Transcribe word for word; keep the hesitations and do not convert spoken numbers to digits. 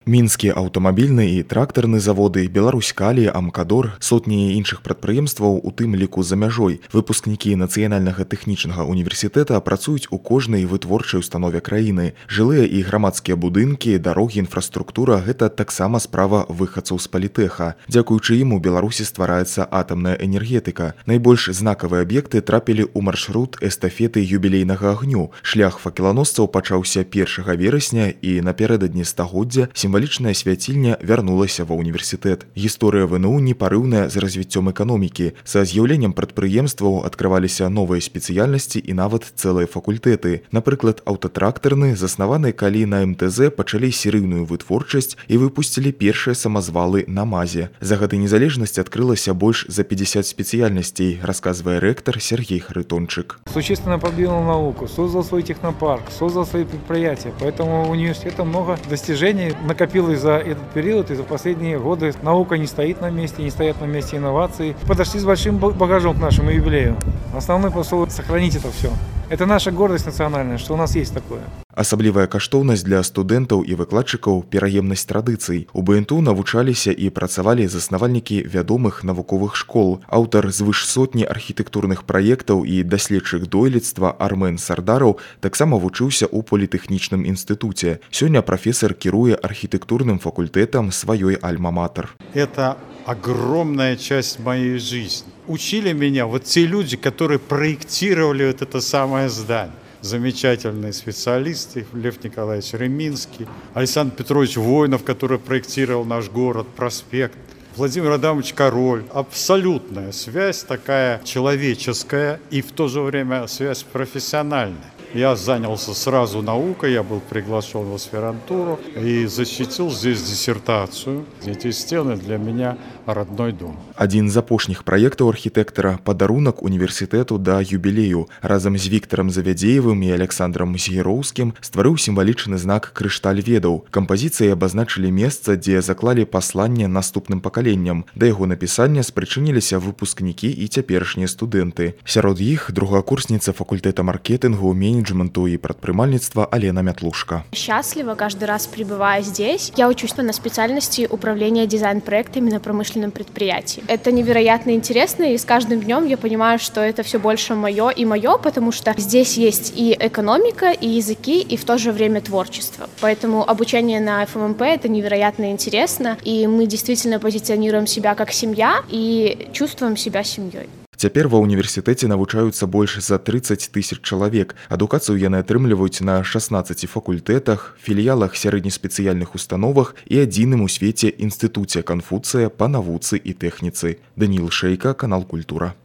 Мінскі аўтамабільны і трактарны заводы, Беларусь-Калі, Амкадор, сотні іншых прадпрыемстваў, у тым ліку за мяжой. Выпускнікі Нацыянальнага тэхнічнага універсітэта працуюць у кожнай вытворчай установе краіны. Жылыя і грамадскія будынкі, дарогі, інфраструктура – гэта таксама справа выхадцаў з палітэха. Дзякуючы ім у Беларусі ствараецца атамная энергетыка. Найбольш знакавыя аб'екты трапілі ў маршрут эстафеты юбілейнага агню. Шлях факеланосцаў пачаўся першага верасня і напярэдадні стагоддзя сімвалічная свяцільня вярнулася ва ўніверсітэт. Гісторыя ВНУ непарыўная з развіццём эканомікі. Са з'яўленнем прадпрыемстваў адкрываліся новыя спецыяльнасці і нават цэлыя факультэты. Напрыклад, аўтатрактарны, заснаваны калі на эм тэ зэ пачалі серыйную вытворчасць і выпусцілі першыя самазвалы на мазе. За гады незалежнасці адкрылася больш за пятьдесят спецыяльнасцей, расказвае рэктар Сергей Харитончик. Существенно продвинул науку, создал свой технопарк, создал свои предприятия. Поэтому у университета много достижений накопилось за этот период, и за последние годы наука не стоит на месте, не стоят на месте инновации. Подошли с большим багажом к нашему юбилею. Основной посыл – сохранить это все. Это наша гордость национальная, что у нас есть такое. Асаблівая каштоўнасць для студэнтаў і выкладчыкаў – пераемнасць традыцый. У БНТУ навучаліся і працавалі заснавальнікі вядомых навуковых школ. Аўтар звыш сотні архітэктурных праектаў і даследчык дойлідства Армен Сардараў таксама вучыўся ў політэхнічным інстытуце. Сёння прафесар кіруе архітэктурным факультэтам сваёй альма-матер. Это огромная часть моей жизни. Учили меня вот те люди, которые проектировали вот это самое здание. Замечательные специалисты, Лев Николаевич Реминский, Александр Петрович Воинов, который проектировал наш город, проспект, Владимир Адамович Король. Абсолютная связь такая человеческая и в то же время связь профессиональная. Я занялся сразу наукой, я был приглашен в аспирантуру и защитил здесь диссертацию. Эти стены для меня родной дом. Адзін з апошніх праектаў архітэктара – падарунак універсітэту да юбілею. Разам з Віктарам Завядзеевым і Александром Згіроўскім стварыў сімвалічны знак «Крышталь ведаў». Кампазіцыі абазначылі месца, дзе заклалі пасланне наступным пакаленням. Да яго напісання спрычыніліся выпускнікі і цяперашнія студэнты. Сярод іх другакурсніца факультэта маркетингу, менеджменту и предпринимательства Алена Мятлушка. Счастлива каждый раз пребывая здесь. Я учусь на специальности управления дизайн-проектами на промышленном предприятии. Это невероятно интересно, и с каждым днем я понимаю, что это все больше мое и мое, потому что здесь есть и экономика, и языки, и в то же время творчество. Поэтому обучение на эф эм эм пэ это невероятно интересно, и мы действительно позиционируем себя как семья и чувствуем себя семьей. Цяпер ва ўніверсітэце навучаюцца больш за тридцать тысяч чалавек. Адукацыю яны атрымліваюць на шаснаццаці факультэтах, філіялах сярэднеспецыяльных установах і адзіным у свеце інстытуце Канфуцыя па навуцы і тэхніцы. Даніл Шэйка, канал Культура.